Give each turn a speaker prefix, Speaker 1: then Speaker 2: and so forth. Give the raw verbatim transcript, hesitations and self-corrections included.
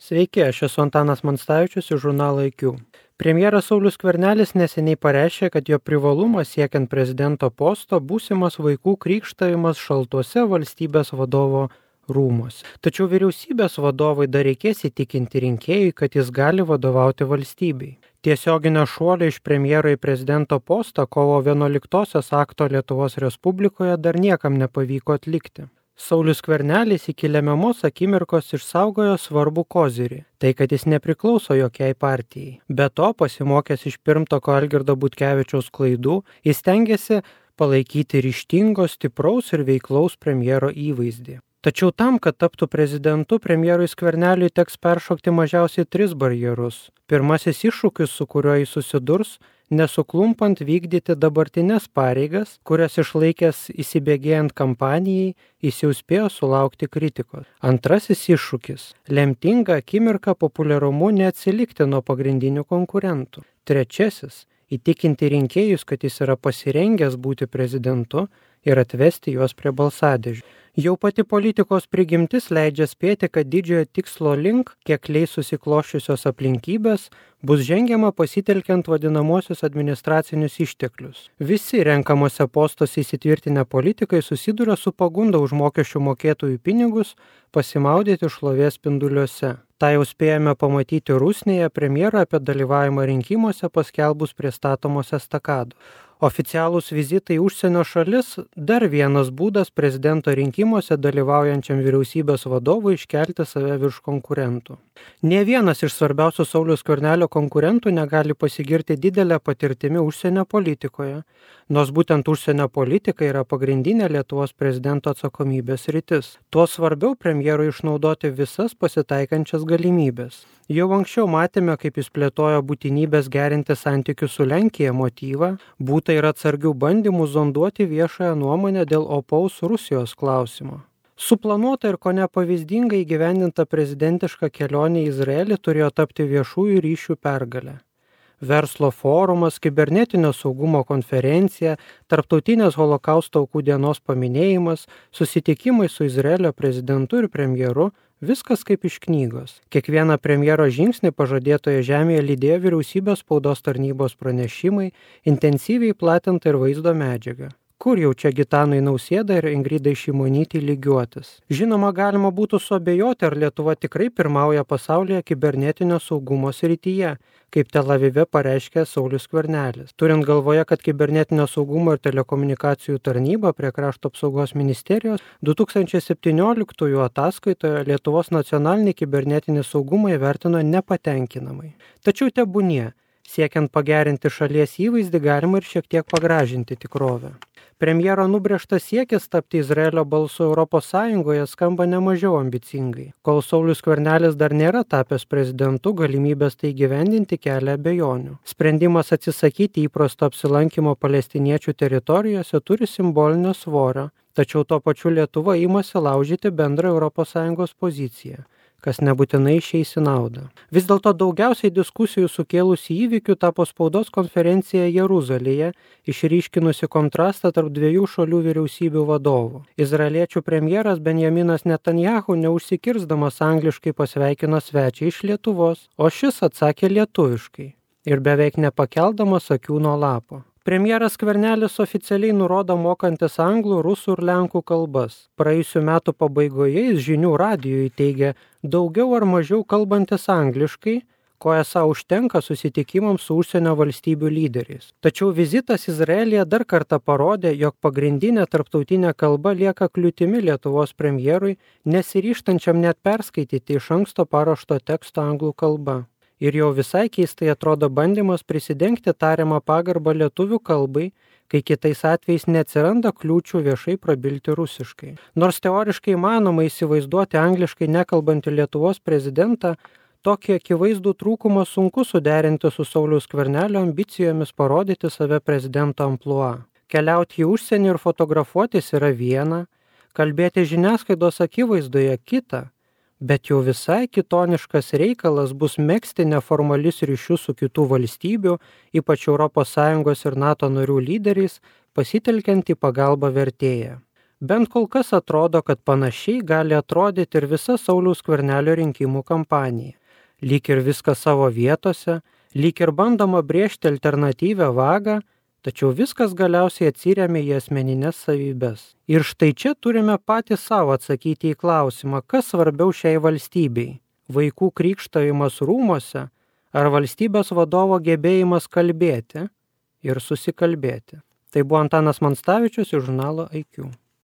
Speaker 1: Sveiki, aš esu Antanas Manstavičius iš žurnalo I Q. Premjeras Saulius Skvernelis neseniai pareiškė, kad jo privalumas siekiant prezidento posto būsimas vaikų krikštavimas šaltuose valstybės vadovo rūmuose. Tačiau vyriausybės vadovai dar reikės įtikinti rinkėjui, kad jis gali vadovauti valstybei. Tiesioginio šuolio iš premjero į prezidento postą kovo vienuoliktosios akto Lietuvos Respublikoje dar niekam nepavyko atlikti. Saulius Skvernelis iki lemiamos akimirkos išsaugojo svarbų kozirį, tai kad jis nepriklauso jokiai partijai. Be to, pasimokęs iš pirmtako Algirdo Butkevičiaus klaidų, jis stengiasi palaikyti ryžtingo, stipraus ir veiklaus premjero įvaizdį. Tačiau tam, kad taptų prezidentu, premjerui Skverneliui teks peršokti mažiausiai tris barjerus. Pirmasis iššūkis, su kuriuo jis susidurs, nesuklumpant vykdyti dabartinės pareigas, kurias išlaikęs įsibėgėjant kampanijai, jis jau spėjo sulaukti kritikos. Antrasis iššūkis – lemtinga akimirka populiarumu neatsilikti nuo pagrindinių konkurentų. Trečiasis – įtikinti rinkėjus, kad jis yra pasirengęs būti prezidentu ir atvesti juos prie balsadėžių. Jau pati politikos prigimtis leidžia spėti, kad didžiojo tikslo link, kiek leis susikloščiusios aplinkybės, bus žengiama pasitelkiant vadinamosius administracinius išteklius. Visi renkamuose postuose įsitvirtinę politikai susiduria su pagunda už mokesčių mokėtojų pinigus pasimaudyti šlovės spinduliuose. Ta jau spėjame pamatyti Rusnėje premjerą apie dalyvavimą rinkimuose paskelbus prie statomos estakados. Oficialūs vizitai į užsienio šalis – dar vienas būdas prezidento rinkimuose dalyvaujančiam vyriausybės vadovui iškelti save virš konkurentų. Nė vienas iš svarbiausių Sauliaus Skvernelio konkurentų negali pasigirti didelę patirtimi užsienio politikoje, nors būtent užsienio politika yra pagrindinė Lietuvos prezidento atsakomybės sritis. Tuo svarbiau premjerui išnaudoti visas pasitaikančias galimybės. Jau anksčiau matėme, kaip jis plėtojo būtinybės gerinti santykius su Lenkija motyvą, būta ir atsargių bandymų zonduoti viešąją nuomonę dėl opaus Rusijos klausimo. Suplanuota ir kone pavyzdingai įgyvendinta prezidentiška kelionė į Izraelį turėjo tapti viešųjų ryšių pergalę. Verslo forumas, kibernetinio saugumo konferencija, tarptautinės holokausto aukų dienos paminėjimas, susitikimai su Izraelio prezidentu ir premjeru – viskas kaip iš knygos. Kiekvieną premjero žingsnį pažadėtoje žemėje lydėjo vyriausybės spaudos tarnybos pranešimai, intensyviai platinta ir vaizdo medžiaga. Kur jau čia Gitanui Nausėdai ir Ingridai Šimonytei lygiuotis? Žinoma, galima būtų suabejoti, ar Lietuva tikrai pirmauja pasaulyje kibernetinio saugumo srityje, kaip Tel Avive pareiškė Saulius Skvernelis. Turint galvoje, kad kibernetinio saugumo ir telekomunikacijų tarnyba prie Krašto apsaugos ministerijos du tūkstančiai septynioliktųjų ataskaitoje Lietuvos nacionalinį kibernetinį saugumą įvertino nepatenkinamai. Tačiau tebūnie, siekiant pagerinti šalies įvaizdį, galima ir šiek tiek pagražinti tikrovę. Premjero nubrėžtas siekis tapti Izraelio balsu Europos Sąjungoje skamba nemažiau ambicingai. Kol Saulius Skvernelis dar nėra tapęs prezidentu, galimybės tai įgyvendinti kelia abejonių. Sprendimas atsisakyti įprasto apsilankimo palestiniečių teritorijose turi simbolinio svorio, tačiau tuo pačiu Lietuva imasi laužyti bendrą Europos Sąjungos poziciją, kas nebūtinai išeis į naudą. Vis dėlto daugiausiai diskusijų sukėlusi įvykių tapo spaudos konferencija Jeruzalėje, išryškinusi kontrastą tarp dviejų šalių vyriausybių vadovų. Izraeliečių premjeras Benjaminas Netanjahu neužsikirsdamas angliškai pasveikino svečią iš Lietuvos, o šis atsakė lietuviškai ir beveik nepakeldamas akių nuo lapo. Premjeras Skvernelis oficialiai nurodo mokantis anglų, rusų ir lenkų kalbas. Praėjusių metų pabaigoje jis žinių radijui teigė daugiau ar mažiau kalbantis angliškai, ko esą užtenka susitikimams su užsienio valstybių lyderiais. Tačiau vizitas Izraelyje dar kartą parodė, jog pagrindinė tarptautinė kalba lieka kliūtimi Lietuvos premjerui, nesiryžtančiam net perskaityti iš anksto paruošto teksto anglų kalba. Ir jau visai keistai atrodo bandymas prisidengti tariamą pagarbą lietuvių kalbai, kai kitais atvejais neatsiranda kliūčių viešai prabilti rusiškai. Nors teoriškai įmanoma įsivaizduoti angliškai nekalbantį Lietuvos prezidentą, tokį akivaizdų trūkumą sunku suderinti su Sauliaus Skvernelio ambicijomis parodyti save prezidento amplua. Keliauti į užsienį ir fotografuotis yra viena, kalbėti žiniasklaidos akivaizdoje kita, bet jau visai kitoniškas reikalas bus megzti neformalius ryšius su kitų valstybių, ypač Europos Sąjungos ir NATO narių lyderiais, pasitelkiant į pagalbą vertėją. Bent kol kas atrodo, kad panašiai gali atrodyti ir visa Sauliaus Skvernelio rinkimų kampanija. Lyg ir viskas savo vietose, lyg ir bandoma brėžti alternatyvią vagą, tačiau viskas galiausiai atsiremia į asmeninės savybės. Ir štai čia turime patys savo atsakyti į klausimą, kas svarbiau šiai valstybei - vaikų krikštavimas rūmuose ar valstybės vadovo gebėjimas kalbėti ir susikalbėti. Tai buvo Antanas Monstavičius iš žurnalo I Q.